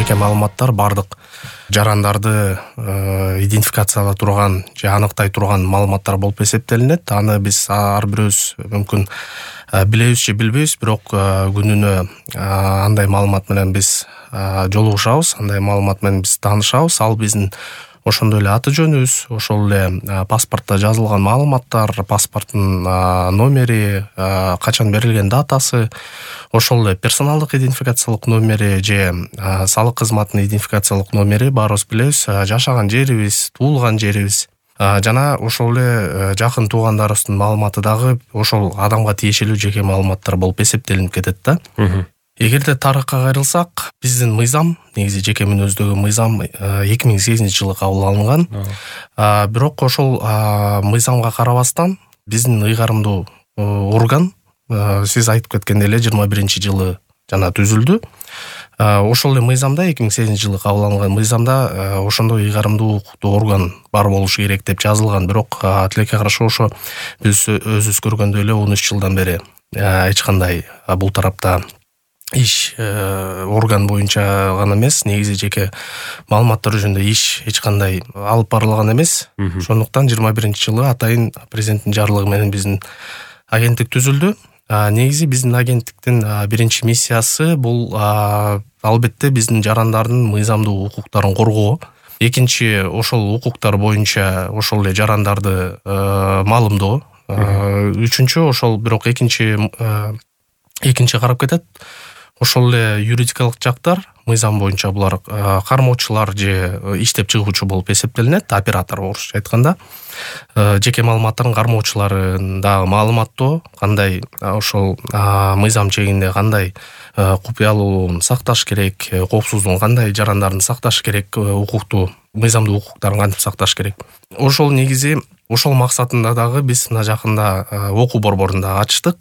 жеке маалыматтар бардык жарандарды идентификациялай турган же аныктай турган маалыматтар болуп эсептелинет. Аны биз ар бирөөбүз мүмкүн билебиз же билбейбиз, бирок күнүнө андай маалымат менен биз жолугушабыз, андай маалымат менен биз таанышабыз. Ал биздин ошондой эле аты жөнүбүз, ошол эле паспортто жазылган маалыматтар, паспорттун номери, качан берилген датасы, ошол эле персоналдык идентификациялык номери же салык кызматынын идентификациялык номери баарыбыз билебиз, жашаган жерибиз, туулган жерибиз жана ошол эле жакын туугандарыбыздын маалыматы дагы ошол адамга тиешелүү жеке маалыматтар болуп эсептелинип кетет да. Эгерде тарыхка кайрылсак, биздин мыйзам, негизи жеке мүнөздөгү мыйзам 2008-жылы кабыл алынган. Бирок ошол мыйзамга карабастан биздин ыйгарымдуу орган, сиз айтып кеткендей эле 21-жылы жана түзүлдү. Ошол эле мыйзамда 2008-жылы кабыл алынган мыйзамда ошондой ыйгарымдуу укуктуу орган бар болушу керек деп жазылган. Бирок тилекке каршы ошо биз өзүбүз көргөндөй эле 13 жылдан бери эч кандай бул тарапта иш орган боюнча гана эмес, негизи жеке маалыматтар жөнүндө иш эч кандай алып барылган эмес. Ошондуктан 21-жылы атайын президенттин жарлыгы менен биздин агенттик түзүлдү. Негизи биздин агенттиктин биринчи миссиясы бул албетте биздин жарандардын мыйзамдуу укуктарын коргоо. Экинчи, ошол укуктар боюнча ошол эле жарандарды маалымдоо. Үчүнчү, ошол бирок экинчи карап кетет. Ошол эле юридикалык жактар мыйзам боюнча булар кармоочулар же иштеп чыгуучу болуп эсептелинет, оператор орусча айтканда. Жеке маалыматтардын кармоочуларын дагы маалыматтоо, кандай ошол мыйзам чегинде кандай купуялуулугун сакташ керек, коопсуздугун кандай жарандардын сакташ керек, укуктуу мыйзамдуу укуктарын кантип сакташ керек. Ошол негизи ошол максатында дагы биз мына жакында окуу борборун дагы ачтык.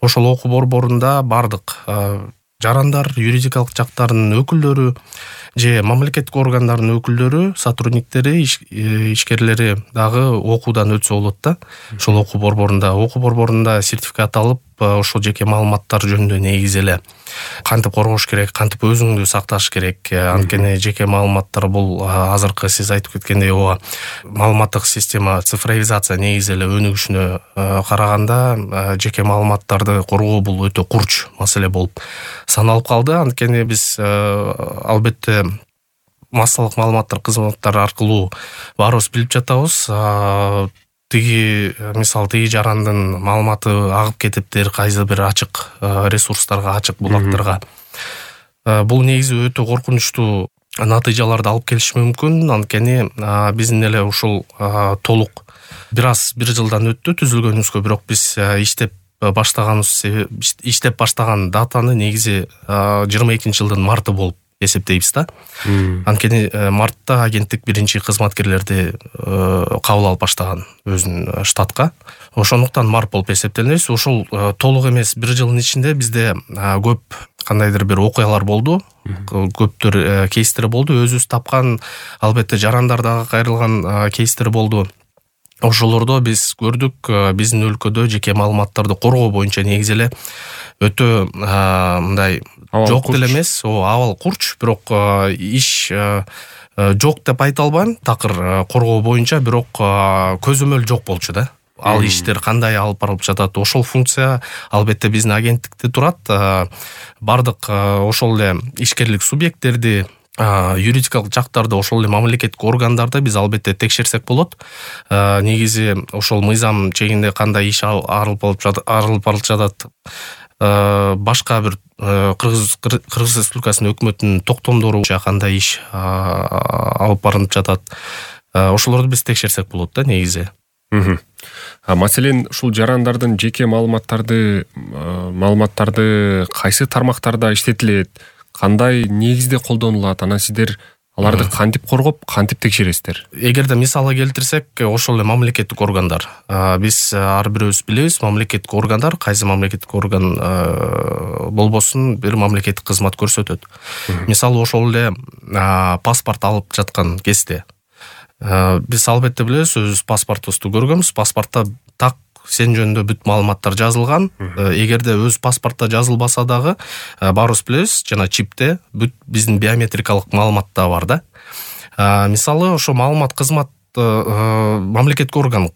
Ошол окуу борборунда бардык жарандар, юридикалык жактардын өкүлдөрү же мамлекеттик органдардын өкүлдөрү, сотрудниктери, ишкерлери дагы окуудан өтсө болот да. Ошол окуу борборунда сертификат алып, ошол жеке маалыматтар жөнүндө негизи эле кантип коргош керек, кантип өзүңдү сакташ керек. Анткени жеке маалыматтар бул азыркы сиз айтып кеткендей маалыматтык система, цифровизация негизи эле өнүгүшүнө караганда жеке маалыматтарды коргоо бул өтө курч маселе болуп саналып калды. Анткени биз албетте массалык маалыматтар кызматтары аркылуу баарыбыз билип жатабыз. Тиги жарандын маалыматы агып кетиптир кайсы бир ачык ресурстарга, ачык булактарга. Бул негизи өтө коркунучтуу натыйжаларды алып келиши мүмкүн. Анткени биздин эле ушул толук бир жылдан өттү түзүлгөнүбүзгө, бирок биз иштеп баштаган датаны негизи 22-жылдын марты болуп эсептейбиз да. Анткени мартта агенттик биринчи кызматкерлерди кабыл алып баштаган өзүнүн штатка. Ошондуктан март болуп эсептелебиз. Ошол толук эмес, бир жылдын ичинде бизде көп кандайдыр бир окуялар болду, көптөр кейстер болду. Өзүбүз тапкан, албетте жарандар дагы кайрылган кейстер болду. Ошолордо биз көрдүк, биздин өлкөдө жеке маалыматтарды коргоо боюнча негизи эле өтө мындай жок деле эмес, абал курч, бирок иш жок деп айта албайм, такыр коргоо боюнча, бирок көзөмөл жок болчу да. Ал иштер кандай алып барылып жатат, ошол функция албетте биздин агенттикте турат. Бардык ошол эле ишкерлик субъекттерди, юридикалык жактарды, ошол эле мамлекеттик органдарды биз албетте текшерсек болот. Негизи ошол мыйзам чегинде кандай иш арылып барылып жатат, башка бир Кыргыз Республикасынын өкмөтүнүн токтомдору боюнча кандай иш алып барылып жатат. Ошолорду биз текшерсек болот да негизи. Маселен, ушул жарандардын жеке маалыматтарды кайсы тармактарда иштетилет, кандай негизде колдонулат, анан сиздер аларды кантип коргоп, кантип текшересиздер? Эгерде мисалга келтирсек, ошол эле мамлекеттик органдар. Биз ар бирөөбүз билебиз, мамлекеттик органдар, кайсы мамлекеттик орган болбосун бир мамлекеттик кызмат көрсөтөт. Мисалы ошол эле паспорт алып жаткан кезде биз албетте билебиз, өзүбүз паспортубузду көргөнбүз. Паспортто так сен жөнүндө бүт маалыматтар жазылган. Эгерде өз паспортто жазылбаса дагы баарыбыз билебиз, жана чипте бүт биздин биометрикалык маалымат да бар да. Мисалы ошо маалымат кызмат мамлекеттик орган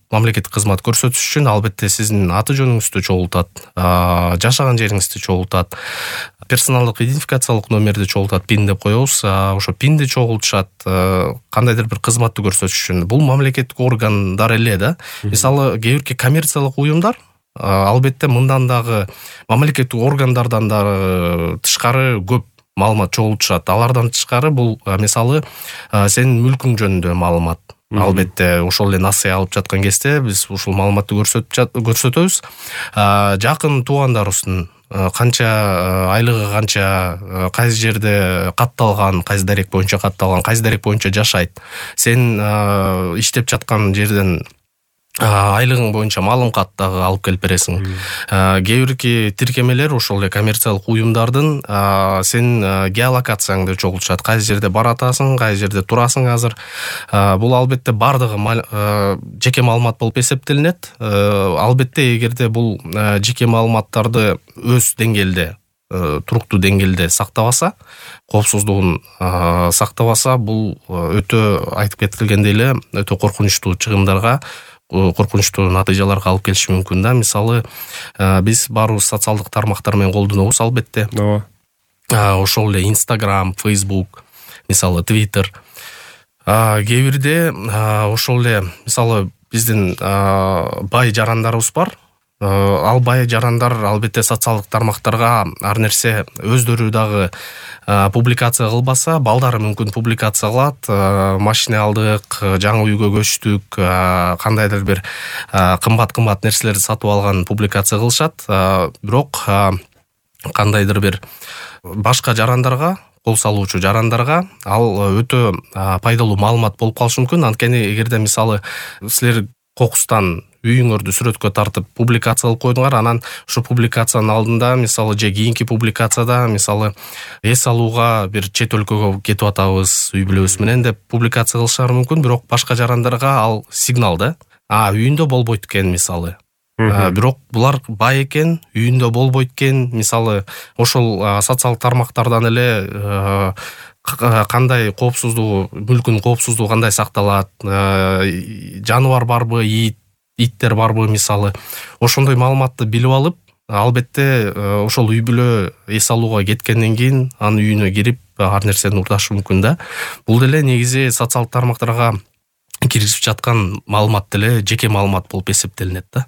мамлекеттик кызмат көрсөтүш үчүн албетте сиздин аты жөнүңүздү чогултат, жашаган жериңизди чогултат, персоналдык идентификациялык номерди чогултат, пин деп коебуз. Ошо пинди чогултушат кандайдыр бир кызматты көрсөтүш үчүн. Бул мамлекеттик органдар эле да. Мисалы кээ бирки коммерциялык уюмдар албетте мындан дагы мамлекеттик органдардан дагы тышкары көп маалымат чогултушат. Алардан тышкары бул мисалы сенин мүлкүң жөнүндө маалымат. Албетте ошол эле насыя алып жаткан кезде биз ушул маалыматты көрсөтөбүз. Жакын туугандарыбыздын канча айлыгы, канча, кайсы жерде катталган, кайсы дарек боюнча катталган, кайсы дарек боюнча жашайт, сен иштеп жаткан жерден айлыгың боюнча маалым кат дагы алып келип бересиң. Кээ бирки тиркемелер ошол эле коммерциялык уюмдардын сен геолокацияңды чогултушат, кайсы жерде баратасың, кайсы жерде турасың азыр. Бул албетте бардыгы жеке маалымат болуп эсептелинет. Албетте эгерде бул жеке маалыматтарды өз деңгээлде, туруктуу деңгээлде сактабаса, коопсуздугун сактабаса, бул өтө айтып кетилгендей эле өтө коркунучтуу чыгымдарга, коркунучтуу натыйжаларга алып келиши мүмкүн да. Мисалы, биз баарыбыз социалдык тармактар менен колдонобуз албетте. Ошол эле Instagram, Facebook, мисалы Twitter. Кээ бирде ошол эле мисалы биздин бай жарандарыбыз бар. Ал бай жарандар албетте социалдык тармактарга ар нерсе өздөрү дагы публикация кылбаса, балдары мүмкүн публикация кылат. Машина алдык, жаңы үйгө көчтүк, кандайдыр бир кымбат нерселерди сатып алган публикация кылышат. Бирок кандайдыр бир башка жарандарга, кол салуучу жарандарга ал өтө пайдалуу маалымат болуп калышы мүмкүн. Анткени эгерде мисалы силер кокустан үйүңөрдү сүрөткө тартып публикация кылып койдуңар, анан ушу публикациянын алдында мисалы же кийинки публикацияда мисалы эс алууга бир чет өлкөгө кетип атабыз үй бүлөбүз менен деп публикация кылышары мүмкүн. Бирок башка жарандарга ал сигнал да. Үйүндө болбойт экен мисалы. Бирок булар бай экен, үйүндө болбойт экен. Мисалы ошол социалдык тармактардан эле кандай коопсуздугу, мүлкүнүн коопсуздугу кандай сакталат, жаныбар барбы, иттер барбы мисалы. Ошондой маалыматты билип алып, албетте ошол үй бүлө эс алууга кеткенден кийин анын үйүнө кирип ар нерсени урдашы мүмкүн да. Бул деле негизи социалдык тармактарга киргизип жаткан маалымат деле жеке маалымат болуп эсептелинет да.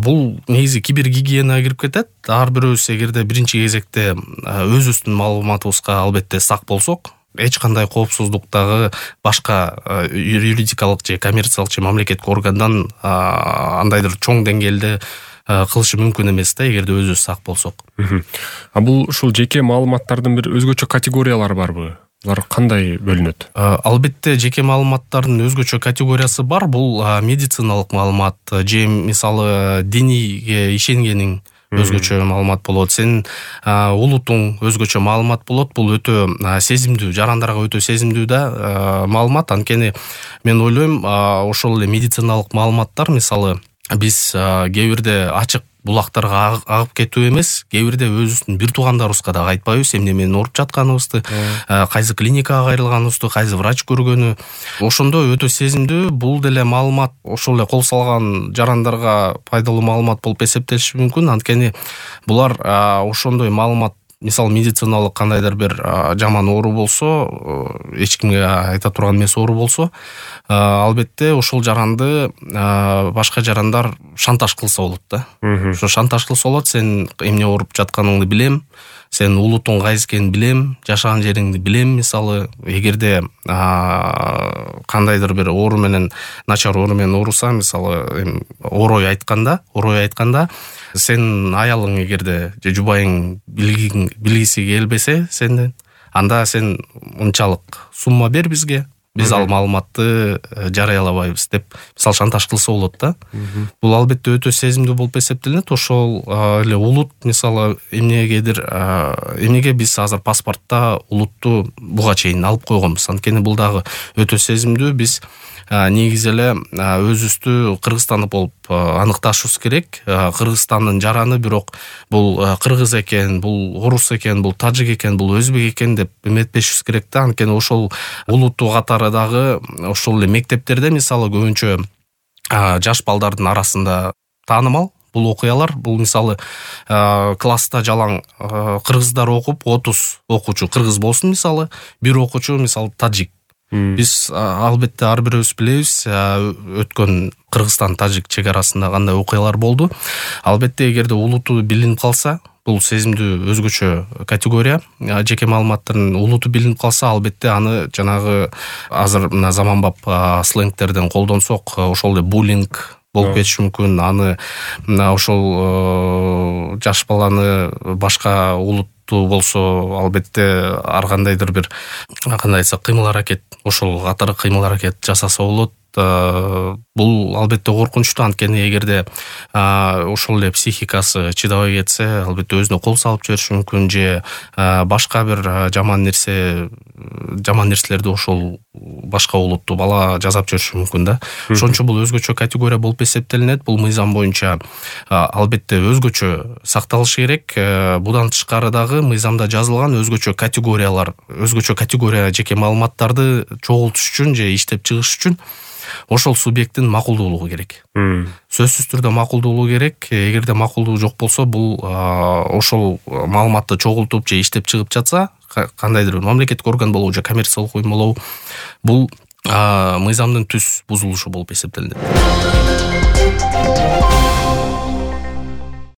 Бул негизи кибергигиенага кирип кетет. Ар бирөөбүз эгерде биринчи кезекте өзүбүздүн маалыматыбызга албетте сак болсок, эч кандай коопсуздуктагы башка юридикалык же коммерциялык же мамлекеттик органдан андайдыр чоң деңгээлде кылышы мүмкүн эмес да, эгерде өзүбүз сак болсок. Бул ушул жеке маалыматтардын бир өзгөчө категориялары барбы? Булар кандай бөлүнөт? Албетте жеке маалыматтардын өзгөчө категориясы бар. Бул медициналык маалымат же мисалы диниге ишенгениң өзгөчө маалымат болот. Сен улутуң өзгөчө маалымат болот. Бул өтө сезимдүү, жарандарга өтө сезимдүү да маалымат. Анткени мен ойлойм, ошол эле медициналык маалыматтар мисалы биз кээ бирде ачык булактарга агып кетүү эмес, кээ бирде өзүбүздүн бир туугандарыбызга да айтпайбыз эмне менен ооруп жатканыбызды, кайсы клиникага кайрылганыбызды, кайсы врач көргөнү. Ошондо өтө сезимдүү, бул деле маалымат ошол эле кол салган жарандарга пайдалуу маалымат болуп эсептелиши мүмкүн. Анткени булар ошондой маалымат, мисалы медициналык кандайдыр бир жаман оору болсо, эч кимге айта турган эмес оору болсо, албетте ошол жаранды башка жарандар шантаж кылса болот да. Ошо шантаж кылса болот, сен эмне ооруп жатканыңды билем, сен улутуң кайсы экенин билем, жашаган жериңди билем. Мисалы эгерде кандайдыр бир оору менен, начар оору менен ооруса, мисалы орой айтканда сен аялың эгерде же жубайың билгиси келбесе сенден, анда сен мынчалык сумма бер бизге, биз ал маалыматты жарыялабайбыз деп мисалы шантаж кылса болот да. Бул албетте өтө сезимдүү болуп эсептелинет. Ошол эле улут мисалы эмнеге биз азыр паспортто улутту буга чейин алып койгонбуз. Анткени бул дагы өтө сезимдүү. Биз негизи эле өзүбүздү Кыргызстандык болуп аныкташыбыз керек. Кыргызстандын жараны бирок бул кыргыз экен, бул орус экен, бул тажик экен, бул өзбек экен деп эметпешибиз керек да. Анткени ошол улуттуу катары дагы ошол эле мектептерде мисалы көбүнчө жаш балдардын арасында таанымал бул окуялар. Бул мисалы класста жалаң кыргыздар окуп 30 окуучу кыргыз болсун мисалы, бир окуучу мисалы тажик. Биз албетте ар бирөөбүз билебиз өткөн Кыргызстан тажик чек арасында кандай окуялар болду. Албетте эгерде улуту билинип калса, бул сезимдүү өзгөчө категория. Жеке маалыматтын улуту билинип калса, албетте аны жанагы азыр мына заманбап сленгтерден колдонсок, ошол эле буллинг болуп кетиши мүмкүн. Аны мына ошол жаш баланы башка улуттуу болсо, албетте ар кандайдыр бир кандай айтсак кыймыл-аракет, ошол катары кыймыл-аракет жасаса болот. Бул албетте коркунучтуу. Анткени эгерде ошол эле психикасы чыдабай кетсе, албетте өзүнө кол салып жибериши мүмкүн, же башка бир жаман нерселерди ошол башка улуттуу бала жасап жүрүшү мүмкүн да. Ошон үчүн бул өзгөчө категория болуп эсептелинет. Бул мыйзам боюнча албетте өзгөчө сакталышы керек. Будан тышкары дагы мыйзамда жазылган өзгөчө категория жеке маалыматтарды чогултуш үчүн же иштеп чыгыш үчүн ошол субъекттин макулдуулугу керек. Сөзсүз түрдө макулдуулугу керек. Эгерде макулдугу жок болсо, бул ошол маалыматты чогултуп же иштеп чыгып жатса, кандайдыр бир мамлекеттик орган болобу же коммерциялык уюм болобу, бул мыйзамдын түз бузулушу болуп эсептелинет.